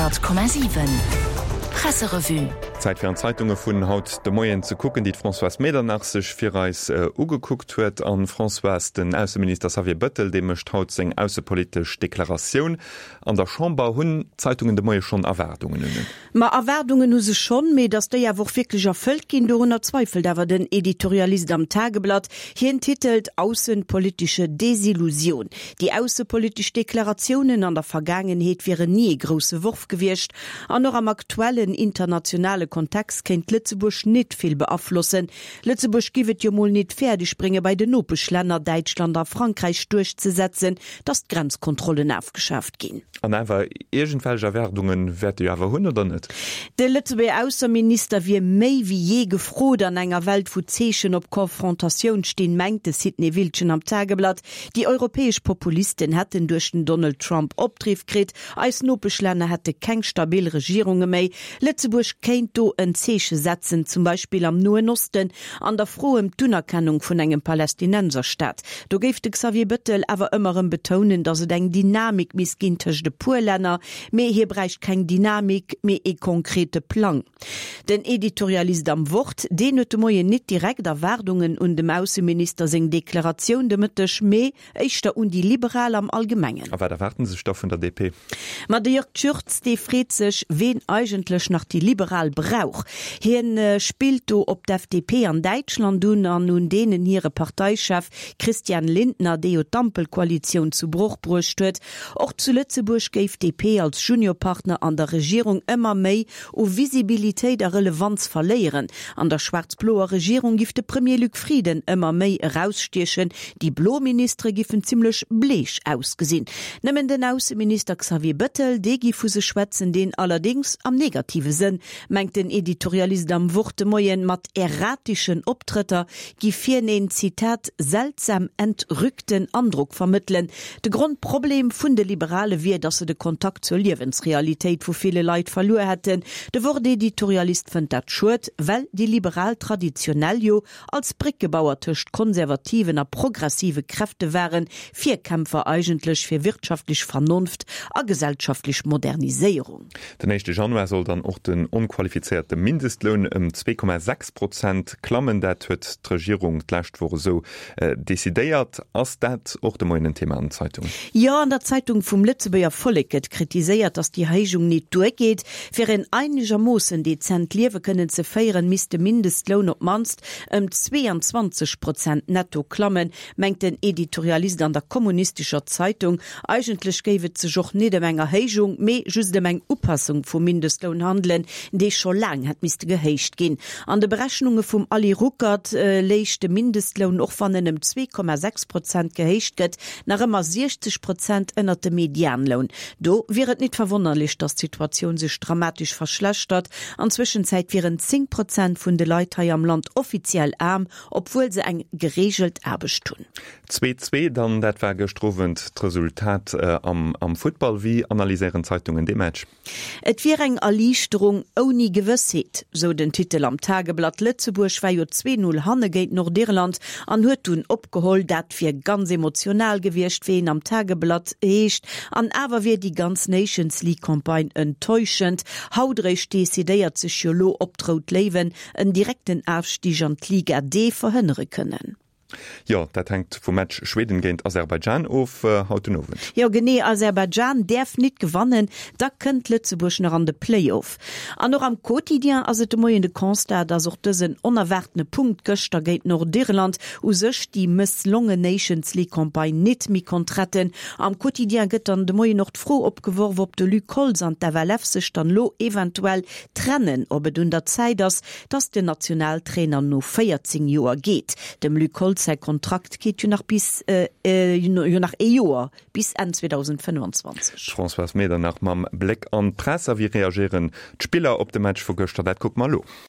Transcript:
100,7 Presserevue. Zäit fir an d'Zeitunge vun haut de Moien ze kucken, déi d'Françoise Medernach sech fir eis ugekuckt huet. An Françoise, den Ausseminister Xavier Bëttel, dee mécht haut seng aussepolitesch Deklaratioun an der Chamber. Hunn d'Zeitungen de Moie schonn Erwaardungen un en? Ma Erwaardungen hu se schonn, mee datt déi awer och wierklech erfëllt ginn, dorunner zweifelt awer den Editorialist am Tageblatt. Hien titelt Aussenpolitische Desillusion. Déi aussepolitesch Deklaratiounen an der Vergaangenheet wieren ni ee grousse Worf gewiescht an och am aktuellen internationale Kontext kéint Lëtzebuerg nit vill beaflossen. Lëtzebuerg giff et jo mol nit fäerdeg brénge bei den Nopeschlänner Däitschland a Frankräich duerchzesetzen, datt d'Grenzkontrollen afgeschaaft ginn. An awer, iergendwelch Erwaardunge wäerte jo awer hunn, oder net? De Lëtzebuerger Ausseminister wier méi wéi jee gefrot an enger Welt wou d'Zeechen op Konfrontatioun stinn, mengt de Sidney Wildgen am Tageblatt. Déi europäesch Populisten hätten duerch den Donald Trump Opdriff kritt, eis Nopeschlänner hätte keng stabil Regierunge méi. Lëtzebuerg kéint do en Zeeche setzen, zum Beispill am Noen Osten an der Fro ëm d'Unerkennung vun engem Palästinenserstaat. Do géif de Xavier Bëttel awer ëmmer erëm betounen, datt et eng Dynamik misst ginn tëscht e puer Länner, mee hie bräicht keng Dynamik, mee ee konkrete Plang. Den Editorialist am Wort, deen huet de Moien nit direkt Erwaardungen un dem Ausseminister seng Deklaratioun de Mëtteg, mee éischter un déi Liberal am Allgemengen. A wat erwaarden sech da vun der DP? Ma de Jörg Tschürtz, dee freet sech, ween eigentlech nach déi Liberal brauch. Hien spillt do op d'FDP an Däitschland un an un deenen hire Parteichef Christian Lindner, dee jo d'Ampelkoalitioun zu Broch bruecht huet. Och zu Lëtzebuerg géif d'DP als Juniorpartner an der Regierung ëmmer méi u Visibilitéit a Relevanz verléieren. An der schwaarz-bloer Regierung giff de Premier Luc Frieden ëmmer méi erausstiechen, déi blo Ministere giffen zimmlech bleech ausgesinn. Nëmmen den Ausseminister Xavier Bëttel, dee giff vu sech schwätzen, deen allerdéngs am negative Sënn, mengt den Editorialist am Wort de Moien, mat erratischen Optrëtter giff hien een, Zitat, seltsam entrückten Andruck vermëttelen. De Grondproblem vun de Liberale wier, datt se de Kontakt zur Liewensrealitéit vu ville Leit verluer hätten. De Wort-Editorialist fënnt dat schued, well déi Liberal traditionell jo als Bréckebauer tëscht konservativen a progressive Kräfte waren, Virkämpfer eigentlech fir wirtschaftlech Vernonft a gesellschaftlech Moderniséierung. Den éischte Januar soll dann och den onqualifizéierte Mindestloun ëm 2,6 Prozent klammen. Dat huet d'Regierung d'lescht Woch esou Decidéiert. Ass dat och de Moien en Thema an den Zeitungen? Jo, an der Zeitung vum Lëtzebuerger Vollek gëtt kritiséiert, datt déi Erhéijung nit duergeet. Fir en einegermoossen dezent Liewe kënnen ze féieren, misst de Mindestloun op d'mannst ëm 22 Prozent netto klammen, mengt den Editorialist an der kommunistescher Zeitung. Eigentlech géif et sech och nit ëm eng Erhéijung, mee just ëm eng Upassung vum Mindestloun handelen, dee scho laang hätt misste gehéicht ginn. An de Berechnunge vum Ali Ruckert léich de Mindestloun, och wann en ëm 2,6 Prozent gehéicht gëtt, nach ëmmer 60 Prozent ënnert dem Medianloun. Do wier et nit verwonnerlech, datt d'Situatioun sech dramatesch verschlechtert. An Zwëschenzäit wieren 10 Prozent vun de Leit hei am Land offiziell aarm, obwuel se eng gereegelt Aarbecht hunn. 2, 2 dann, dat war gëschter Owend d'Resultat am Futtball. Wéi analyséieren d'Zeitungen dee Match? Et wier eng Erliichterung ouni Gewëssheet, sou den Titel am Tageblatt. Lëtzebuerg war jo 2, 0 hanne géint Nordirland an huet dunn opgeholl. Dat wier ganz emotional gewiescht, wéi een am Tageblatt heescht. An awer wier déi ganz Nations League Campagne enttäuschend. Haut eréischt decidéiert sech jo lo, ob d'Rout Léiwen en direkten Afstig an d'Liga D verhënnere kënnen. Jo, dat hänkt vum Match Schweden géint Aserbaidschan of haut den Owend. Jo genee, Aserbaidschan däerf nit gewannen, da kënnt Lëtzebuerg nach an de Play-Off. An och am Quotidien ass et de Moien de Constat, dass och dësen onerwaartene Punkt gëschter géint Nordirland u sech déi mësslonge Nations League Campagne nit méi konnt retten. Am Quotidien gëtt dann de Moien och d'Fro opgeworf, ob de Luc Holtz an d'FLF sech dann lo eventuell trennen, ob et un der Zäit ass, dass den Nationaltrainer no 14 Joer geet. Dem Luc Holtz säi Kontrakt geet jo nach bis jo nach ee Joer, bis Enn 2025. D'Françoise Medernach mam Bléck an d'Press. A wéi reagéieren d'Spiller op de Match vu gëschter? Dat kucke mer elo.